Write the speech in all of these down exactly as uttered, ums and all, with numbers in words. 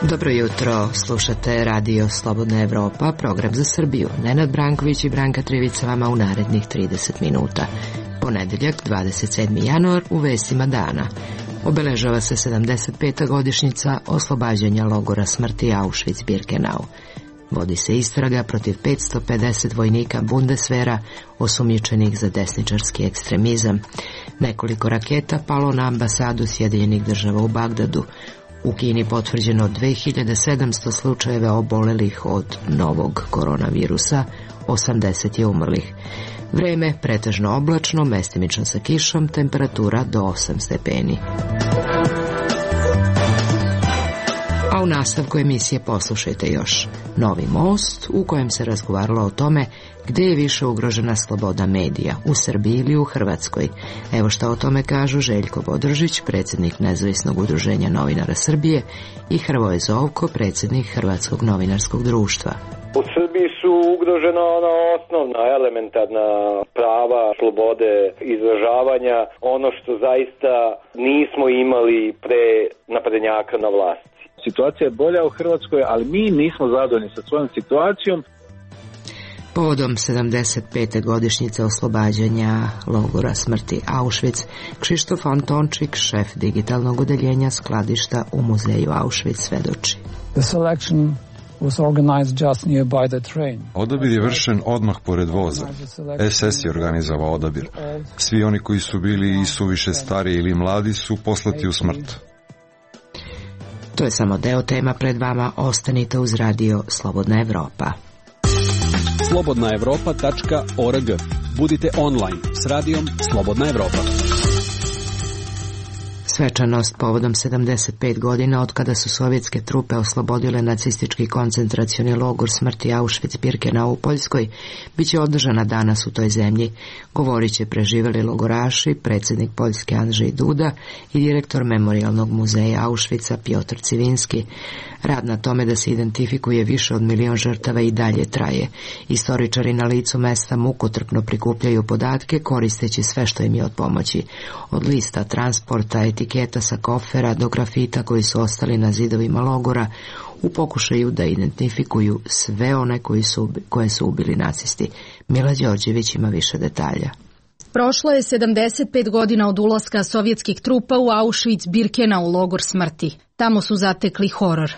Dobro jutro, slušate Radio Slobodna Evropa, program za Srbiju. Nenad Branković i Branka Trivica vama u narednih trideset minuta. Ponedeljak, dvadeset sedmi januar, u vestima dana. Obeležava se sedamdeset peta godišnjica oslobađanja logora smrti Auschwitz-Birkenau. Vodi se istraga protiv petsto pedeset vojnika Bundeswehra osumnjičenih za desničarski ekstremizam. Nekoliko raketa palo na ambasadu Sjedinjenih država u Bagdadu. U Kini potvrđeno dve hiljade sedamsto slučajeva obolelih od novog koronavirusa, osamdeset je umrlih. Vreme pretežno oblačno, mestimično sa kišom, temperatura do osam stepeni. A u nastavku emisije poslušajte još Novi most, u kojem se razgovaralo o tome gde je više ugrožena sloboda medija, u Srbiji ili u Hrvatskoj. Evo šta o tome kažu Željko Bodržić, predsjednik Nezavisnog udruženja novinara Srbije, i Hrvoje Zovko, predsjednik Hrvatskog novinarskog društva. U Srbiji su ugrožena ona osnovna, elementarna prava, slobode izražavanja, ono što zaista nismo imali pre naprednjaka na vlasti. Situacija je bolja u Hrvatskoj, ali mi nismo zadovoljni sa svojom situacijom. Povodom sedamdeset pete godišnjice oslobađanja logora smrti Auschwitz, Kšištof Antončik, šef digitalnog odeljenja skladišta u muzeju Auschwitz, svedoči. The selection was organized just nearby the train. Odabir je vršen odmah pored voza. es es je organizovao odabir. Svi oni koji su bili i suviše stari ili mladi su poslati u smrt. To je samo deo tema pred vama, ostanite uz Radio Slobodna Evropa. slobodna evropa tačka org. Budite online s radijom Slobodna Evropa. Svečanost povodom sedamdeset pet godina od kada su sovjetske trupe oslobodile nacistički koncentracioni logor smrti Auschwitz-Birkenau u Poljskoj biće održana danas u toj zemlji. Govorit će preživeli logoraši, predsjednik Poljske Andrzej Duda i direktor Memorijalnog muzeja Auschwitza Piotr Civinski. Rad na tome da se identifikuje više od milion žrtava i dalje traje. Istoričari na licu mesta mukotrpno prikupljaju podatke koristeći sve što im je od pomoći. Od lista transporta, etiketa sa kofera do grafita koji su ostali na zidovima logora u pokušaju da identifikuju sve one koji su, koje su ubili nacisti. Mila Đorđević ima više detalja. Prošlo je sedamdeset pet godina od ulaska sovjetskih trupa u Auschwitz-Birkenau logor smrti. Tamo su zatekli horor.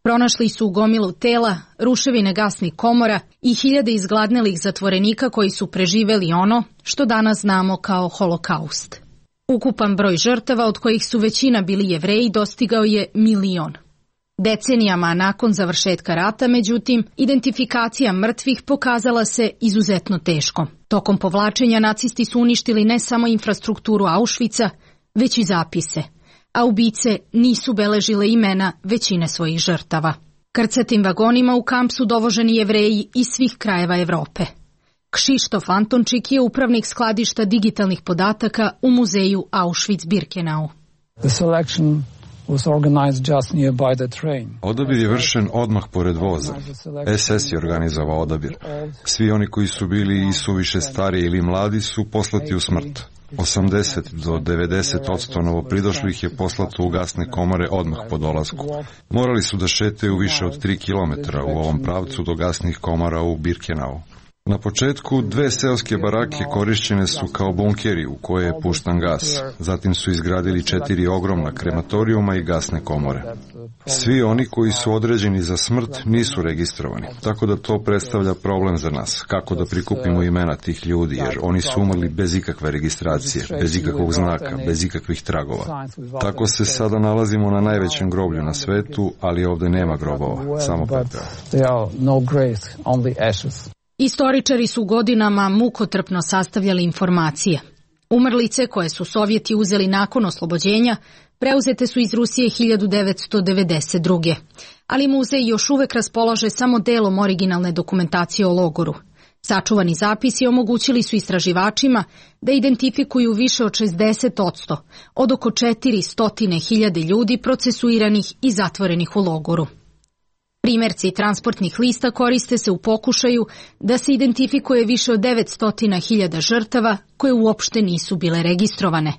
Pronašli su gomilu tela, ruševine gasnih komora i hiljade izgladnelih zatvorenika koji su preživeli ono što danas znamo kao holokaust. Ukupan broj žrtava, od kojih su većina bili Jevreji, dostigao je milion. Decenijama nakon završetka rata, međutim, identifikacija mrtvih pokazala se izuzetno teško. Tokom povlačenja nacisti su uništili ne samo infrastrukturu Auschwitza, već i zapise, a ubice nisu beležile imena većine svojih žrtava. Krcatim vagonima u kamp su dovoženi Jevreji iz svih krajeva Evrope. Kšištof Antončik je upravnik skladišta digitalnih podataka u muzeju Auschwitz-Birkenau. The selection was organized just nearby the train. Odabir je vršen odmah pored voza. es es je organizovao odabir. Svi oni koji su bili i suviše stari ili mladi su poslati u smrt. osamdeset do devedeset odsto novopridošlih je poslato u gasne komore odmah po dolasku. Morali su da šetaju više od tri kilometra u ovom pravcu do gasnih komora u Birkenau. Na početku dve seoske barake korišćene su kao bunkeri u koje je puštan gas. Zatim su izgradili četiri ogromna krematorijuma i gasne komore. Svi oni koji su određeni za smrt nisu registrovani, tako da to predstavlja problem za nas, kako da prikupimo imena tih ljudi, jer oni su umrli bez ikakve registracije, bez ikakvog znaka, bez ikakvih tragova. Tako se sada nalazimo na najvećem groblju na svetu, ali ovde nema grobova, samo pepeo. Istoričari su godinama mukotrpno sastavljali informacije. Umrlice koje su Sovjeti uzeli nakon oslobođenja preuzete su iz Rusije hiljadu devetsto devedeset druge. Ali muzej još uvek raspolaže samo delom originalne dokumentacije o logoru. Sačuvani zapisi omogućili su istraživačima da identifikuju više od šezdeset odsto od oko četiristo hiljade ljudi procesuiranih i zatvorenih u logoru. Primerci transportnih lista koriste se u pokušaju da se identifikuje više od devetsto hiljada žrtava koje uopšte nisu bile registrovane,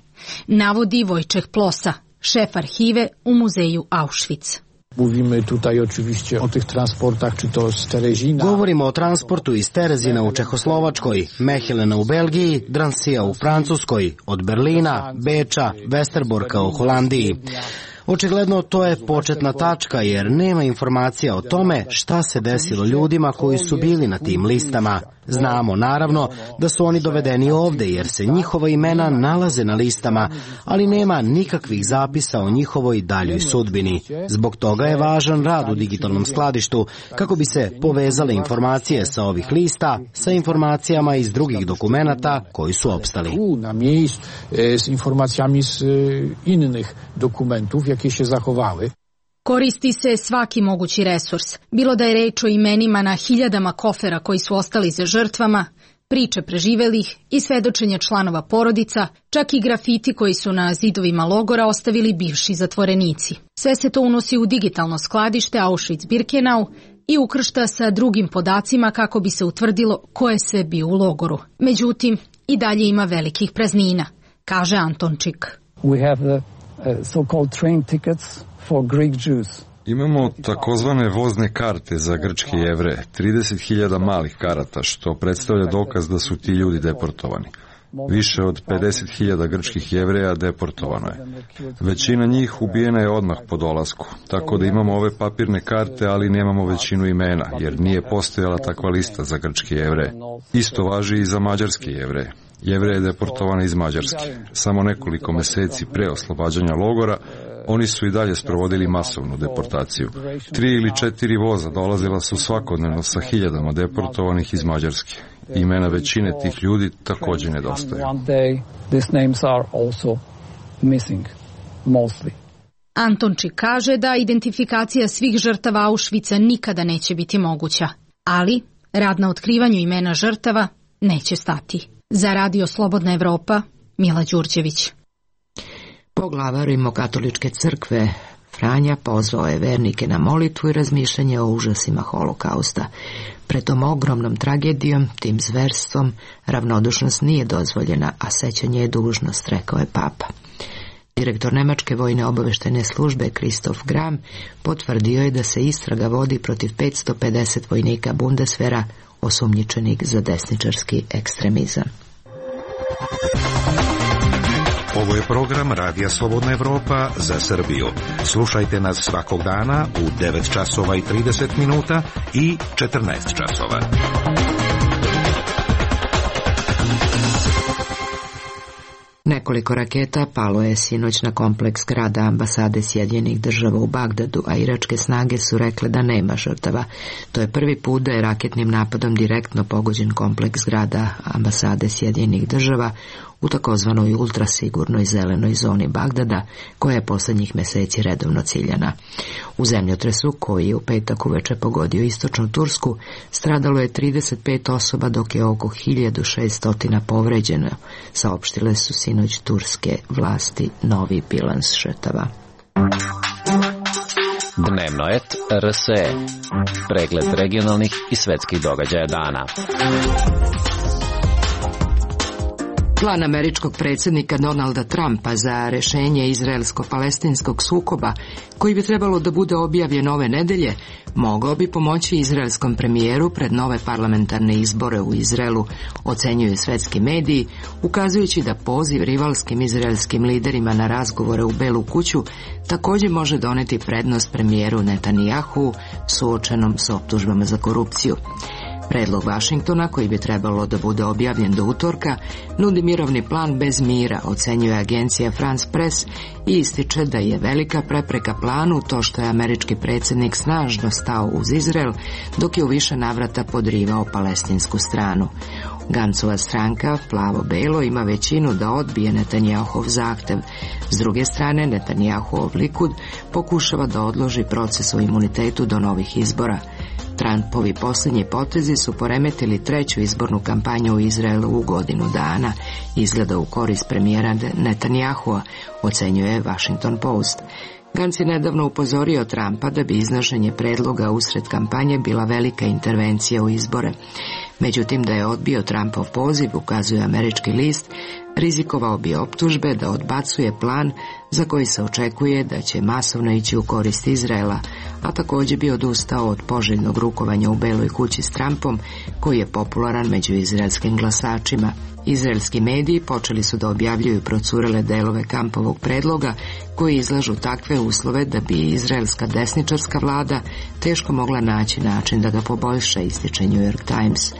navodi Wojciech Plosa, šef arhive u muzeju Auschwitz. Mówimy tutaj oczywiście o tych transportach, czy to z Terezina. Govorimo o transportu iz Terezina u Čehoslovačkoj, Mehelena u Belgiji, Dransija u Francuskoj, od Berlina, Beča, Westerborka u Holandiji. Očigledno to je početna tačka jer nema informacija o tome šta se desilo ljudima koji su bili na tim listama. Znamo naravno da su oni dovedeni ovde jer se njihova imena nalaze na listama, ali nema nikakvih zapisa o njihovoj daljoj sudbini. Zbog toga je važan rad u digitalnom skladištu kako bi se povezale informacije sa ovih lista sa informacijama iz drugih dokumenata koji su opstali. Na mjestu s informacijama iz innych dokumentów, jakie się zachowały. Koristi se svaki mogući resurs, bilo da je reč o imenima na hiljadama kofera koji su ostali za žrtvama, priče preživelih i svedočenja članova porodica, čak i grafiti koji su na zidovima logora ostavili bivši zatvorenici. Sve se to unosi u digitalno skladište Auschwitz-Birkenau i ukršta sa drugim podacima kako bi se utvrdilo ko je sve bio u logoru. Međutim, i dalje ima velikih praznina, kaže Antončik. We have the uh, so-called train tickets for Greek Jews. Imamo takozvane vozne karte za grčke Jevreje, trideset hiljada malih karata, što predstavlja dokaz da su ti ljudi deportovani. Više od pedeset hiljada grčkih Jevreja deportovano je. Većina njih ubijena je odmah po dolasku, tako da imamo ove papirne karte, ali nemamo većinu imena, jer nije postojala takva lista za grčke Jevreje. Isto važi i za mađarske Jevreje. Jevreje je deportovana iz Mađarske. Samo nekoliko meseci pre oslobađanja logora, oni su i dalje sprovodili masovnu deportaciju. Tri ili četiri voza dolazila su svakodnevno sa hiljadama deportovanih iz Mađarske. Imena većine tih ljudi takođe nedostaju. Antončik kaže da identifikacija svih žrtava Auschwitza nikada neće biti moguća, ali rad na otkrivanju imena žrtava neće stati. Za Radio Slobodna Evropa, Mila Đurđević. Poglavar Rimokatoličke crkve Franja pozvao je vernike na molitvu i razmišljanje o užasima holokausta. Pred tom ogromnom tragedijom, tim zverstvom, ravnodušnost nije dozvoljena, a sećanje je dužnost, rekao je papa. Direktor Nemačke vojne obaveštajne službe Christoph Gram potvrdio je da se istraga vodi protiv petsto pedeset vojnika Bundeswehra osumnjičenih za desničarski ekstremizam. Ovo je program Radija Slobodna Evropa za Srbiju. Slušajte nas svakog dana u devet časova i trideset minuta i četrnaest časova. Nekoliko raketa palo je sinoć na kompleks grada ambasade Sjedinjenih država u Bagdadu, a iračke snage su rekle da nema žrtava. To je prvi put da je raketnim napadom direktno pogođen kompleks grada ambasade Sjedinjenih država u takozvanoj ultrasigurnoj zelenoj zoni Bagdada, koja je poslednjih meseci redovno ciljana. U zemljotresu, koji je u petak uveče pogodio istočnu Tursku, stradalo je trideset pet osoba, dok je oko hiljadu šessto povređeno, saopštile su sinoć turske vlasti novi bilans žrtava. Dnevno et R S E. Pregled regionalnih i svetskih događaja dana. Plan američkog predsjednika Donalda Trumpa za rešenje izraelsko-palestinskog sukoba, koji bi trebalo da bude objavljen ove nedelje, mogao bi pomoći izraelskom premijeru pred nove parlamentarne izbore u Izraelu, ocenjuju svetski mediji, ukazujući da poziv rivalskim izraelskim liderima na razgovore u Belu kuću također može doneti prednost premijeru Netanjahu suočenom s optužbama za korupciju. Predlog Vašingtona, koji bi trebalo da bude objavljen do utorka, nudi mirovni plan bez mira, ocenjuje agencija France Press i ističe da je velika prepreka planu to što je američki predsjednik snažno stao uz Izrael, dok je u više navrata podrivao palestinsku stranu. Gancova stranka, plavo-belo, ima većinu da odbije Netanjahov zahtev. S druge strane, Netanjahov Likud pokušava da odloži proces o imunitetu do novih izbora. Trumpovi posljednji potezi su poremetili treću izbornu kampanju u Izraelu u godinu dana. Izgleda u korist premijera Netanjahua, ocenjuje Washington Post. Gantz je nedavno upozorio Trumpa da bi iznošenje predloga usred kampanje bila velika intervencija u izbore. Međutim, da je odbio Trumpov poziv, ukazuje američki list, rizikovao bi optužbe da odbacuje plan za koji se očekuje da će masovno ići u korist Izraela, a također bi odustao od poželjnog rukovanja u Beloj kući s Trumpom, koji je popularan među izraelskim glasačima. Izraelski mediji počeli su da objavljuju procurele delove Trumpovog predloga koji izlažu takve uslove da bi izraelska desničarska vlada teško mogla naći način da ga poboljša, ističe New York Times.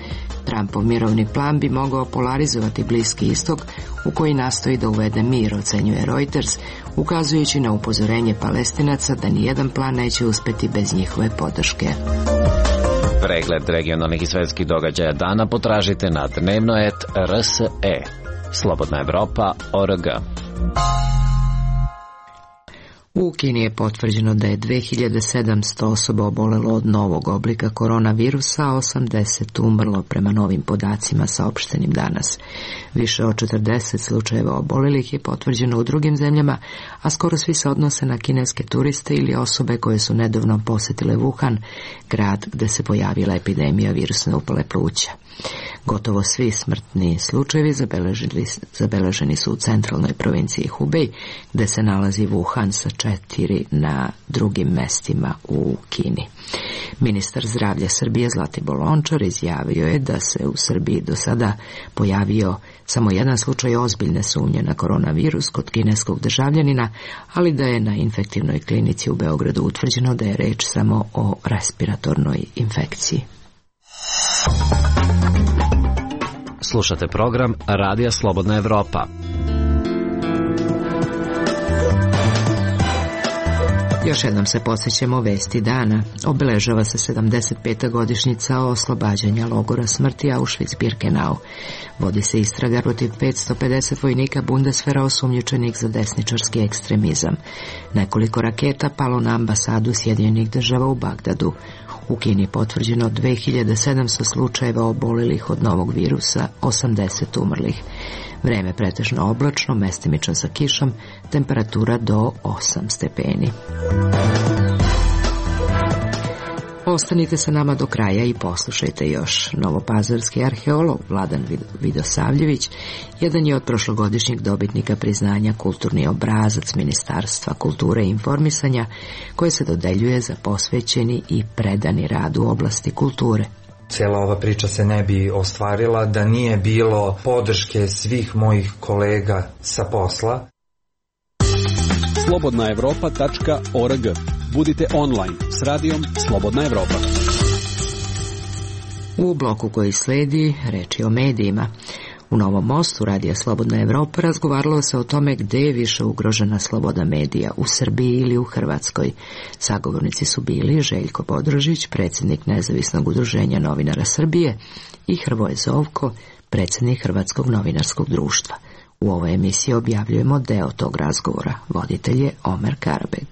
Trumpov mirovni plan bi mogao polarizovati Bliski istok u koji nastoji da uvede mir, ocenjuje Reuters, ukazujući na upozorenje Palestinaca da nijedan plan neće uspeti bez njihove podrške. Pregled regionalnih i svetskih događaja dana potražite na dnevno et er es e. Slobodna Evropa točka org. U Kini je potvrđeno da je dve hiljade sedamsto osoba obolelo od novog oblika koronavirusa, a osamdeset umrlo prema novim podacima saopštenim danas. Više od četrdeset slučajeva obolelih je potvrđeno u drugim zemljama, a skoro svi se odnose na kineske turiste ili osobe koje su nedavno posjetile Wuhan, grad gde se pojavila epidemija virusne upale pluća. Gotovo svi smrtni slučajevi zabeleženi, zabeleženi su u centralnoj provinciji Hubei, gde se nalazi Wuhan sa četiri na drugim mestima u Kini. Ministar zdravlja Srbije Zlatibor Lončar izjavio je da se u Srbiji do sada pojavio samo jedan slučaj ozbiljne sumnje na koronavirus kod kineskog državljanina, ali da je na infektivnoj klinici u Beogradu utvrđeno da je reč samo o respiratornoj infekciji. Slušate program Radija Slobodna Evropa. Još jednom se podsjećamo vesti dana. Obeležava se sedamdeset peta godišnjica oslobađanja logora smrti Auschwitz-Birkenau. Vodi se istraga protiv petsto pedeset vojnika Bundeswehra osumnjičenih za desničarski ekstremizam. Nekoliko raketa palo na ambasadu Sjedinjenih država u Bagdadu. U Kini je potvrđeno dve hiljade sedamsto slučajeva obolelih od novog virusa, osamdeset umrlih. Vreme pretežno oblačno, mestimično sa kišom, temperatura do osam stepeni. Ostanite sa nama do kraja i poslušajte još. Novopazarski arheolog Vladan Vidosavljević jedan je od prošlogodišnjeg dobitnika priznanja Kulturni obrazac Ministarstva kulture i informisanja, koje se dodeljuje za posvećeni i predani rad u oblasti kulture. Cijela ova priča se ne bi ostvarila da nije bilo podrške svih mojih kolega sa posla. slobodna evropa tačka org. Budite online s radijom Slobodna Evropa. U bloku koji sledi reči o medijima. U Novom Mostu Radija Slobodna Evropa razgovaralo se o tome gde je više ugrožena sloboda medija, u Srbiji ili u Hrvatskoj. Sagovornici su bili Željko Bodrožić, predsjednik Nezavisnog udruženja novinara Srbije, i Hrvoje Zovko, predsjednik Hrvatskog novinarskog društva. U ovoj emisiji objavljujemo deo tog razgovora. Voditelj je Omer Karabeg.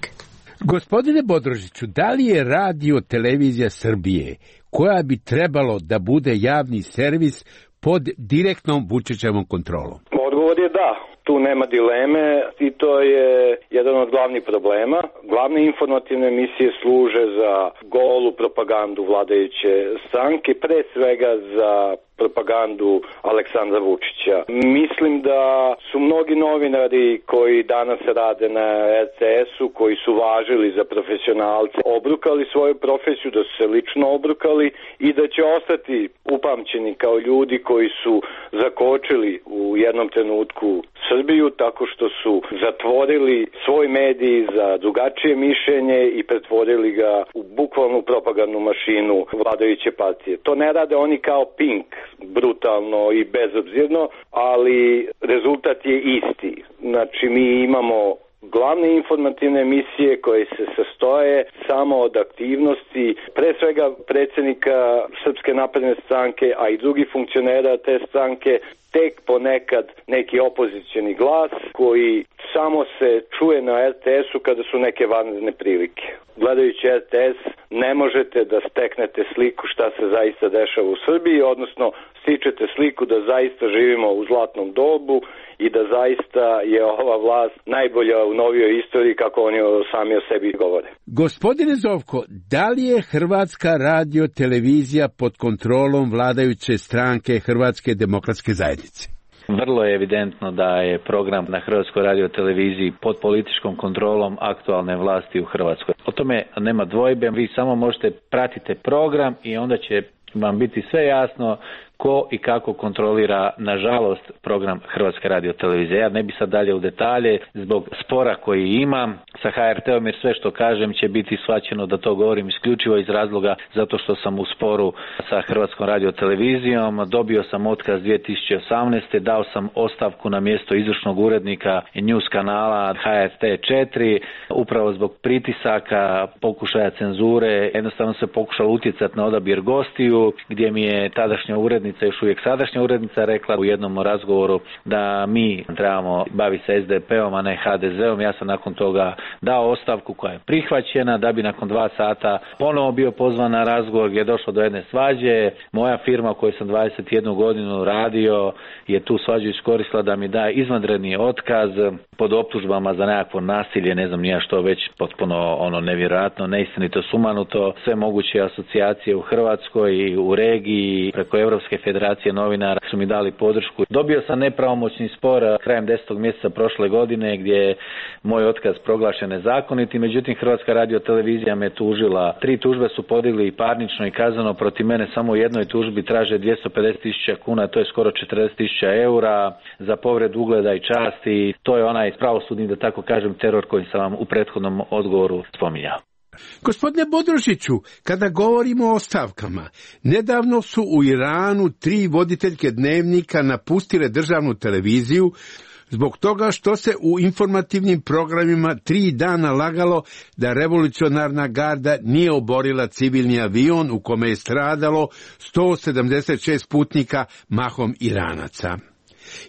Gospodine Bodrožiću, da li je radio televizija Srbije, koja bi trebalo da bude javni servis, pod direktnom Vučićevom kontrolom? Odgovor je da. Tu nema dileme i to je jedan od glavnih problema. Glavne informativne emisije služe za golu propagandu vladajuće stranke, pre svega za propagandu Aleksandra Vučića. Mislim da su mnogi novinari koji danas rade na er te esu, koji su važili za profesionalce, obrukali svoju profesiju, da su se lično obrukali i da će ostati upamćeni kao ljudi koji su zakočili u jednom trenutku Srbiju tako što su zatvorili svoj medij za drugačije mišljenje i pretvorili ga u bukvalnu propagandnu mašinu vladajuće partije. To ne rade oni kao Pink, brutalno i bezobzirno, ali rezultat je isti. Znači, mi imamo glavne informativne emisije koje se sastoje samo od aktivnosti, pre svega predsjednika Srpske napredne stranke, a i drugih funkcionera te stranke, tek ponekad neki opozicioni glas koji samo se čuje na er te esu kada su neke vanredne prilike. Gledajući R T S ne možete da steknete sliku šta se zaista dešava u Srbiji, odnosno stičete sliku da zaista živimo u zlatnom dobu i da zaista je ova vlast najbolja u novijoj istoriji, kako oni sami o sebi govore. Gospodine Zovko, da li je Hrvatska radio televizija pod kontrolom vladajuće stranke Hrvatske demokratske zajednice? Vrlo je evidentno da je program na Hrvatskoj radioteleviziji pod političkom kontrolom aktualne vlasti u Hrvatskoj. O tome nema dvojbe, vi samo možete pratiti program i onda će vam biti sve jasno ko i kako kontrolira, nažalost, program Hrvatske radiotelevizije. Ja ne bi sad dalje u detalje zbog spora koji imam sa H R T-om, jer sve što kažem će biti shvaćeno da to govorim isključivo iz razloga zato što sam u sporu sa Hrvatskom radiotelevizijom. Dobio sam otkaz dvije tisuće osamnaeste. Dao sam ostavku na mjesto izvršnog urednika News kanala H R T četiri, upravo zbog pritisaka, pokušaja cenzure. Jednostavno se pokušalo utjecati na odabir gostiju, gdje mi je tadašnja urednica, još uvijek sadašnja urednica, rekla u jednom razgovoru da mi trebamo baviti se S D P-om, a ne H D Z-om. Ja sam nakon toga dao ostavku koja je prihvaćena, da bi nakon dva sata ponovo bio pozvan na razgovor gdje je došlo do jedne svađe. Moja firma u kojoj sam dvadeset jednu godinu radio je tu svađu iskoristila da mi da izvanredni otkaz pod optužbama za nekakvo nasilje, ne znam nija što, već potpuno ono nevjerojatno, neistinito, sumanuto. Sve moguće asocijacije u Hrvatskoj i u regiji preko Europske federacije novinara su mi dali podršku. Dobio sam nepravomoćni spor krajem desetog mjeseca prošle godine gdje je moj otkaz proglašen nezakonitim, međutim Hrvatska radiotelevizija me tužila. Tri tužbe su podigli i parnično i kazneno protiv mene, samo u jednoj tužbi traže dvjesto pedeset tisuća kuna, to je skoro četrdeset tisuća eura za povredu ugleda i časti. To je onaj pravosudni, da tako kažem, teror koji sam vam u prethodnom odgovoru spominjao. Gospodine Bodrožiću, kada govorimo o ostavkama, nedavno su u Iranu tri voditeljke dnevnika napustile državnu televiziju zbog toga što se u informativnim programima tri dana lagalo da revolucionarna garda nije oborila civilni avion u kome je stradalo sto sedamdeset šest putnika, mahom Iranaca.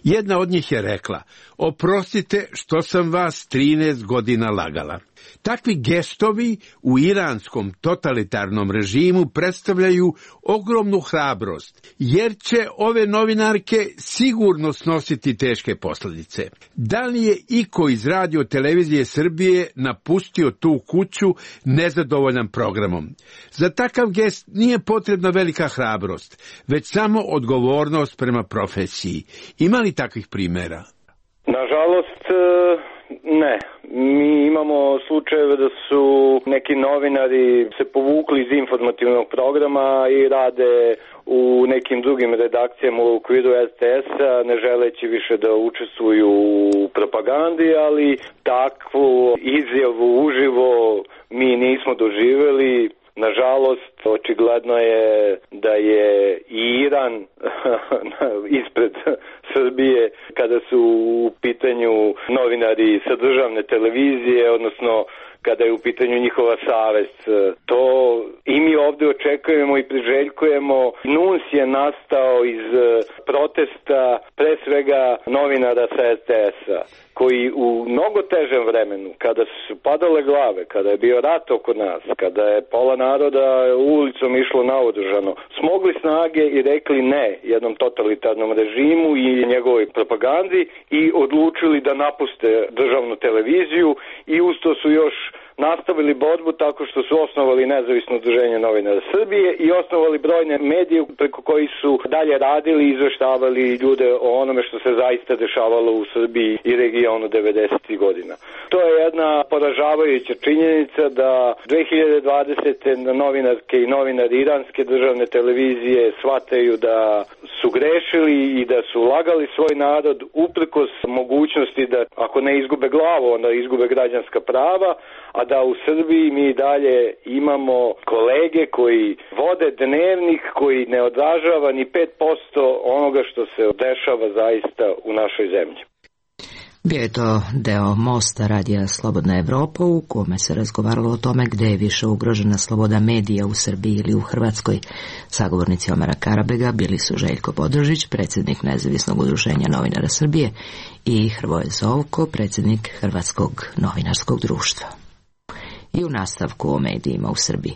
Jedna od njih je rekla: oprostite što sam vas trinaest godina lagala. Takvi gestovi u iranskom totalitarnom režimu predstavljaju ogromnu hrabrost, jer će ove novinarke sigurno snositi teške posljedice. Da li je iko iz Radio televizije Srbije napustio tu kuću nezadovoljan programom? Za takav gest nije potrebna velika hrabrost, već samo odgovornost prema profesiji. Ima li takvih primjera? Nažalost, ne. Mi imamo slučajeve da su neki novinari se povukli iz informativnog programa i rade u nekim drugim redakcijama u okviru R T S-a, ne želeći više da učestvuju u propagandi, ali takvu izjavu uživo mi nismo doživjeli. Nažalost, očigledno je da je i Iran ispred Srbije kada su u pitanju novinari sa državne televizije, odnosno kada je u pitanju njihova savest. To i mi ovdje očekujemo i priželjkujemo. N U N S je nastao iz protesta pre svega novinara sa R T S-a, koji u mnogo težem vremenu, kada su padale glave, kada je bio rat oko nas, kada je pola naroda ulicom išlo naoružano, smogli snage i rekli ne jednom totalitarnom režimu i njegovoj propagandi i odlučili da napuste državnu televiziju i uz to su još nastavili borbu tako što su osnovali nezavisno udruženje novinara Srbije i osnovali brojne medije preko koji su dalje radili i izveštavali ljude o onome što se zaista dešavalo u Srbiji i regionu devedesetih godina. To je jedna poražavajuća činjenica da dve hiljade dvadesete novinarke i novinari iranske državne televizije shvataju da su grešili i da su lagali svoj narod uprkos mogućnosti da ako ne izgube glavu, onda izgube građanska prava, a da u Srbiji mi dalje imamo kolege koji vode dnevnik koji ne odražava ni pet posto onoga što se dešava zaista u našoj zemlji. Bio je to deo Mosta radija Slobodna Evropa u kome se razgovaralo o tome gde je više ugrožena sloboda medija u Srbiji ili u Hrvatskoj. Sagovornici Omara Karabega bili su Željko Bodrožić, predsjednik Nezavisnog udruženja novinara Srbije, i Hrvoje Zovko, predsjednik Hrvatskog novinarskog društva. I u nastavku o medijima u Srbiji.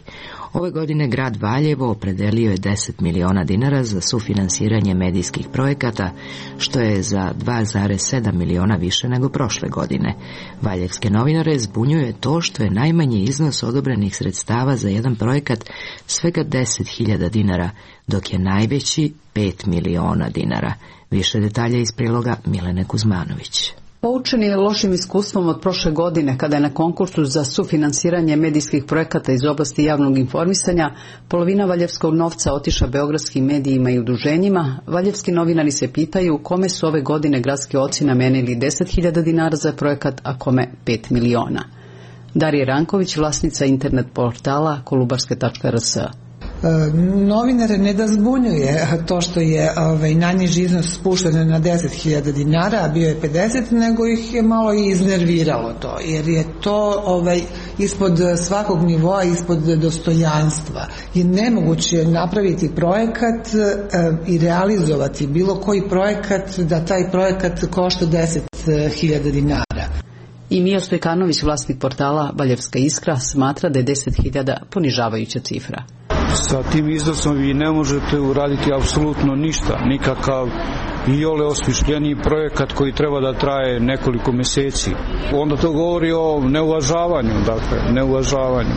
Ove godine grad Valjevo opredelio je deset miliona dinara za sufinansiranje medijskih projekata, što je za dva zarez sedam miliona više nego prošle godine. Valjevske novinare zbunjuje to što je najmanji iznos odobrenih sredstava za jedan projekat svega deset hiljada dinara, dok je najveći pet miliona dinara. Više detalja iz priloga Milene Kuzmanović. Poučen je lošim iskustvom od prošle godine, kada je na konkursu za sufinansiranje medijskih projekata iz oblasti javnog informisanja polovina valjevskog novca otišla beogradskim medijima i udruženjima, valjevski novinari se pitaju kome su ove godine gradski oci namenili deset hiljada dinara za projekat, a kome pet miliona. Darija Ranković, vlasnica internet portala kolubarske tačka r s. Novinare ne da zbunjuje to što je ovaj, najniži iznos spušten na deset hiljada dinara, a bio je pedeset, nego ih je malo i iznerviralo to, jer je to ovaj, ispod svakog nivoa, ispod dostojanstva. Je nemoguće napraviti projekat e, i realizovati bilo koji projekat, da taj projekat košta deset hiljada dinara. I Mio Stojkanović, vlasnik portala Valjevska iskra, smatra da je deset hiljada ponižavajuća cifra. Sa tim iznosom vi ne možete uraditi apsolutno ništa, nikakav iole osmišljeniji projekat koji treba da traje nekoliko meseci. Onda to govori o neuvažavanju, dakle, neuvažavanju.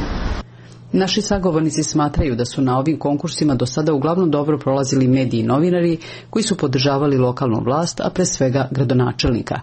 Naši sagovornici smatraju da su na ovim konkursima do sada uglavnom dobro prolazili mediji i novinari koji su podržavali lokalnu vlast, a pre svega gradonačelnika.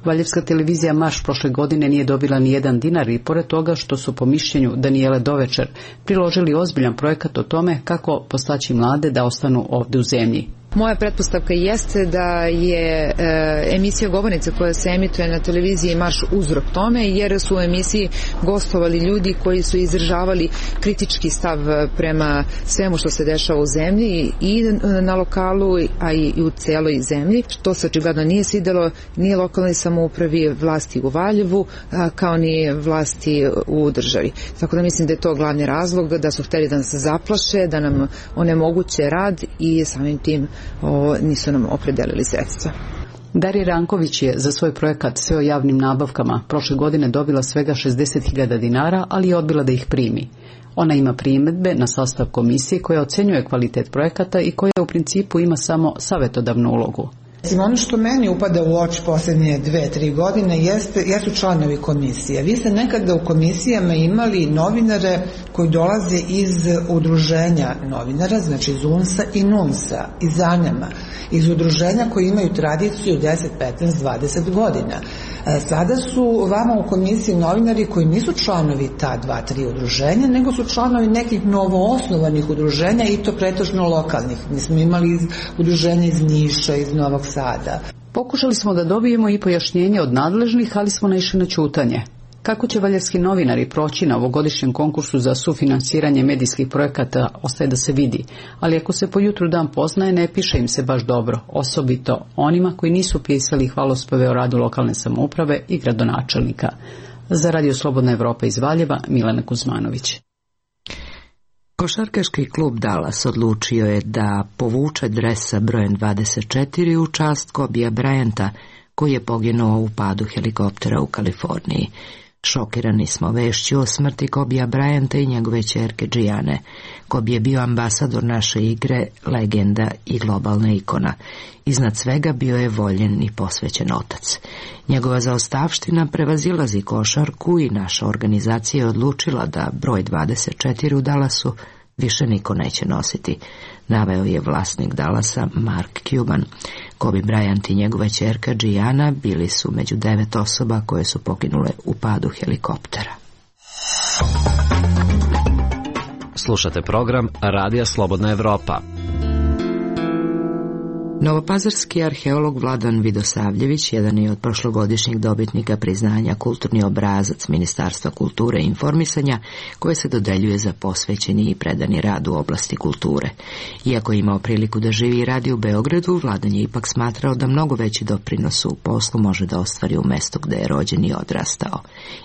Valjevska televizija Marš prošle godine nije dobila ni jedan dinar i pored toga što su po mišljenju Danijele Dovečer priložili ozbiljan projekat o tome kako postaći mlade da ostanu ovde u zemlji. Moja pretpostavka jeste da je e, emisija Govornica koja se emituje na televiziji Marš uzrok tome, jer su u emisiji gostovali ljudi koji su izražavali kritički stav prema svemu što se dešava u zemlji i na lokalu, a i u celoj zemlji, što se očigledno nije svidelo ni lokalnoj samoupravi, vlasti u Valjevu, a, kao ni vlasti u državi. Tako da mislim da je to glavni razlog, da su hteli da nas zaplaše, da nam onemoguće rad i samim tim O, nisu nam opredelili sredstva. Darija Ranković je za svoj projekat Sve o javnim nabavkama prošle godine dobila svega šezdeset hiljada dinara, ali je odbila da ih primi. Ona ima primedbe na sastav komisije koja ocenjuje kvalitet projekata i koja u principu ima samo savetodavnu ulogu. Ono što meni upada u oči posljednje dve, tri godine jeste, jesu članovi komisije. Vi ste nekada u komisijama imali novinare koji dolaze iz udruženja novinara, znači iz U N S A i N U N S A, iz Zanjama, iz udruženja koji imaju tradiciju deset, petnaest, dvadeset godina. Sada su vama u komisiji novinari koji nisu članovi ta dva, tri udruženja, nego su članovi nekih novoosnovanih udruženja i to pretežno lokalnih. Mi smo imali udruženja iz Niša, iz Novog Sada. Pokušali smo da dobijemo i pojašnjenje od nadležnih, ali smo naišli na ćutanje. Kako će valjevski novinari proći na ovogodišnjem konkursu za sufinansiranje medijskih projekata ostaje da se vidi, ali ako se po jutru dan poznaje, ne piše im se baš dobro, osobito onima koji nisu pisali hvalospeve o radu lokalne samouprave i gradonačelnika. Za Radio Slobodna Evropa iz Valjeva, Milena Kuzmanović. Košarkaški klub Dallas odlučio je da povuče dres sa brojem dvadeset četiri u čast Kobija Bryanta, koji je poginuo u padu helikoptera u Kaliforniji. Šokirani smo vešću o smrti Kobija Bryanta i njegove ćerke Gianne. Kobi je bio ambasador naše igre, legenda i globalna ikona. Iznad svega bio je voljen i posvećen otac. Njegova zaostavština prevazilazi košarku i naša organizacija je odlučila da broj dvadeset četiri u Dallasu više niko neće nositi, naveo je vlasnik Dallasa Mark Cuban. Kobe Bryant i njegova ćerka Gianna bili su među devet osoba koje su poginule u padu helikoptera. Slušate program Radija Slobodna Evropa. Novopazarski arheolog Vladan Vidosavljević jedan je od prošlogodišnjih dobitnika priznanja kulturni obrazac Ministarstva kulture i informisanja koje se dodeljuje za posvećeni i predani rad u oblasti kulture. Iako je imao priliku da živi i radi u Beogradu, Vladan je ipak smatrao da mnogo veći doprinos u poslu može da ostvari u mestu gde je rođen i odrastao.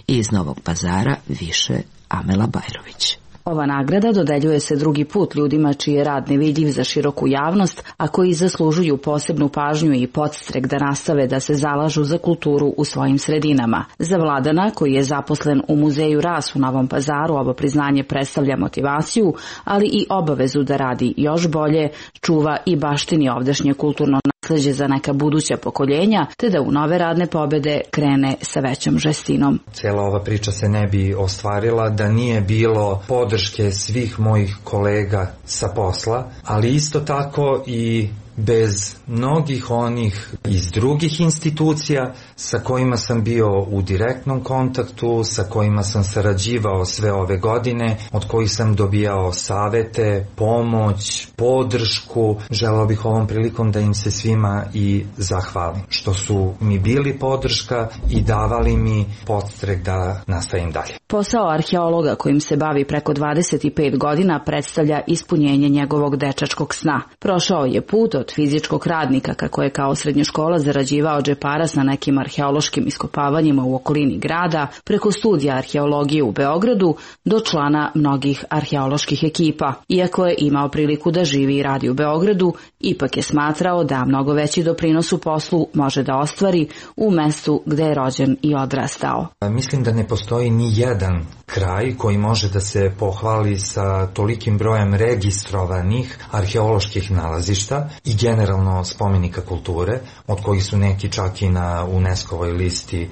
I iz Novog Pazara više Amela Bajrović. Ova nagrada dodeljuje se drugi put ljudima čiji je rad nevidljiv za široku javnost, a koji zaslužuju posebnu pažnju i podstrek da nastave da se zalažu za kulturu u svojim sredinama. Za Vladana, koji je zaposlen u muzeju Ras u Novom Pazaru, ovo priznanje predstavlja motivaciju, ali i obavezu da radi još bolje, čuva i baštini ovdašnje kulturno nasleđe za neka buduća pokoljenja, te da u nove radne pobede krene sa većom žestinom. Cijela ova priča se ne bi ostvarila da nije bilo podrške svih mojih kolega sa posla, ali isto tako i bez mnogih onih iz drugih institucija sa kojima sam bio u direktnom kontaktu, sa kojima sam sarađivao sve ove godine, od kojih sam dobijao savete, pomoć, podršku. Želeo bih ovom prilikom da im se svima i zahvalim, što su mi bili podrška i davali mi podstrek da nastavim dalje. Posao arheologa kojim se bavi preko dvadeset pet godina predstavlja ispunjenje njegovog dečačkog sna. Prošao je put od fizičkog radnika kako je kao srednjoškola zarađivao džeparas na nekim arheološkim iskopavanjima u okolini grada, preko studija arheologije u Beogradu do člana mnogih arheoloških ekipa. Iako je imao priliku da živi i radi u Beogradu, ipak je smatrao da mnogo veći doprinos u poslu može da ostvari u mestu gde je rođen i odrastao. Mislim da ne postoji ni jedan kraj koji može da se pohvali sa tolikim brojem registrovanih arheoloških nalazišta i generalno spomenika kulture, od kojih su neki čak i na UNESCO-voj listi e,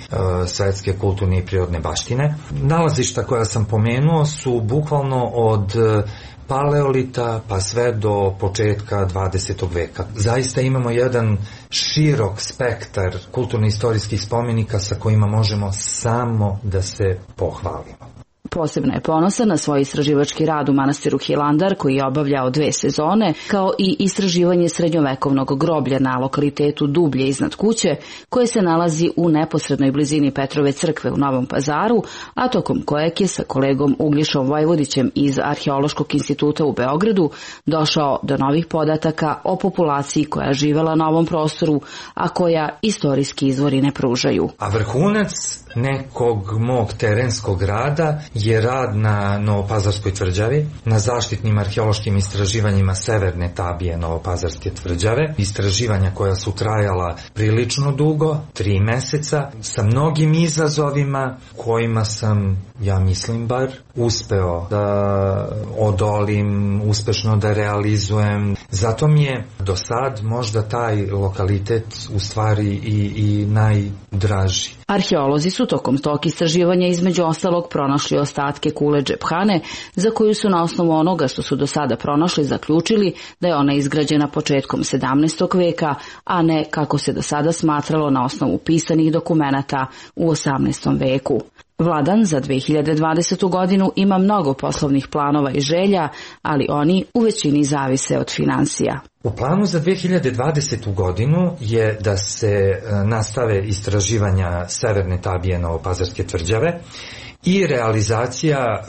svetske kulturne i prirodne baštine. Nalazišta koja sam pomenuo su bukvalno od paleolita pa sve do početka dvadesetog veka. Zaista imamo jedan širok spektar kulturno-istorijskih spomenika sa kojima možemo samo da se pohvalimo. Posebno je ponosan na svoj istraživački rad u manastiru Hilandar koji je obavljao dve sezone, kao i istraživanje srednjovekovnog groblja na lokalitetu Dublje iznad kuće, koje se nalazi u neposrednoj blizini Petrove crkve u Novom Pazaru, a tokom kojeg je sa kolegom Ugljišom Vojvodićem iz Arheološkog instituta u Beogradu došao do novih podataka o populaciji koja živela na ovom prostoru, a koja istorijski izvori ne pružaju. A vrhunac nekog mog terenskog rada je rad na Novopazarskoj tvrđavi, na zaštitnim arheološkim istraživanjima severne tabije Novopazarske tvrđave, istraživanja koja su trajala prilično dugo, tri meseca, sa mnogim izazovima kojima sam, ja mislim bar, uspeo da odolim, uspešno da realizujem. Zato mi je do sad možda taj lokalitet u stvari i, i najdraži. Arheolozi su tokom tog istraživanja između ostalog pronašli ostatke kule Džephane, za koju su na osnovu onoga što su do sada pronašli zaključili da je ona izgrađena početkom sedamnaestog veka, a ne kako se do sada smatralo na osnovu pisanih dokumenata u osamnaestom veku. Vladan za dve hiljade dvadesetu godinu ima mnogo poslovnih planova i želja, ali oni u većini zavise od finansija. U planu za dve hiljade dvadesetu godinu je da se nastave istraživanja severne tabije Novopazarske tvrđave i realizacija e,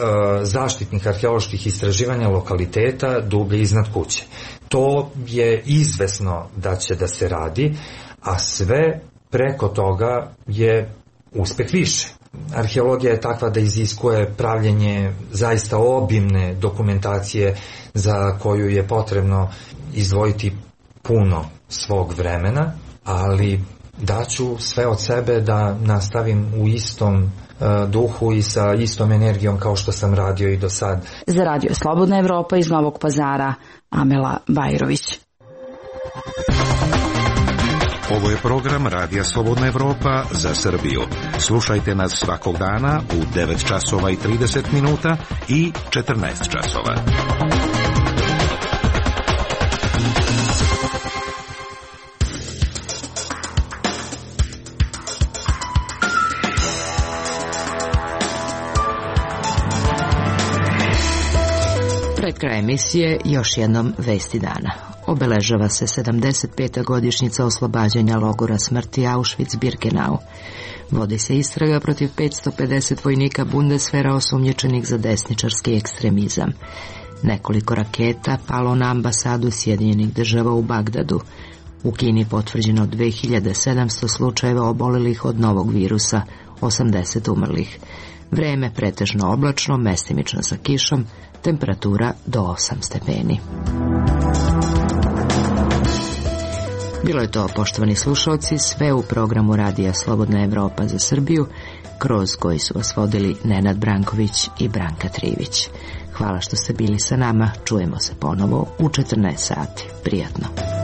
zaštitnih arheoloških istraživanja lokaliteta Dublje iznad kuće. To je izvesno da će da se radi, a sve preko toga je uspeh više. Arheologija je takva da iziskuje pravljenje zaista obimne dokumentacije za koju je potrebno izdvojiti puno svog vremena, ali daću sve od sebe da nastavim u istom uh, duhu i sa istom energijom kao što sam radio i do sad. Za Radio Slobodna Evropa iz Novog Pazara, Amela Bajrović. Ovo je program Radija Slobodna Evropa za Srbiju. Slušajte nas svakog dana u devet časova i trideset minuta i četrnaest časova. Pred kraj emisije još jednom vesti dana. Obeležava se sedamdeset peta godišnjica oslobađanja logora smrti Auschwitz-Birkenau. Vodi se istraga protiv petsto pedeset vojnika Bundeswehra osumnjičenih za desničarski ekstremizam. Nekoliko raketa palo na ambasadu Sjedinjenih država u Bagdadu. U Kini potvrđeno dve hiljade sedamsto slučajeva obolelih od novog virusa, osamdeset umrlih. Vreme pretežno oblačno, mestimično sa kišom, temperatura do osam stepeni. Bilo je to, poštovani slušalci, sve u programu Radija Slobodna Evropa za Srbiju, kroz koji su vas vodili Nenad Branković i Branka Trivić. Hvala što ste bili sa nama, čujemo se ponovo u četrnaest sati. Prijatno.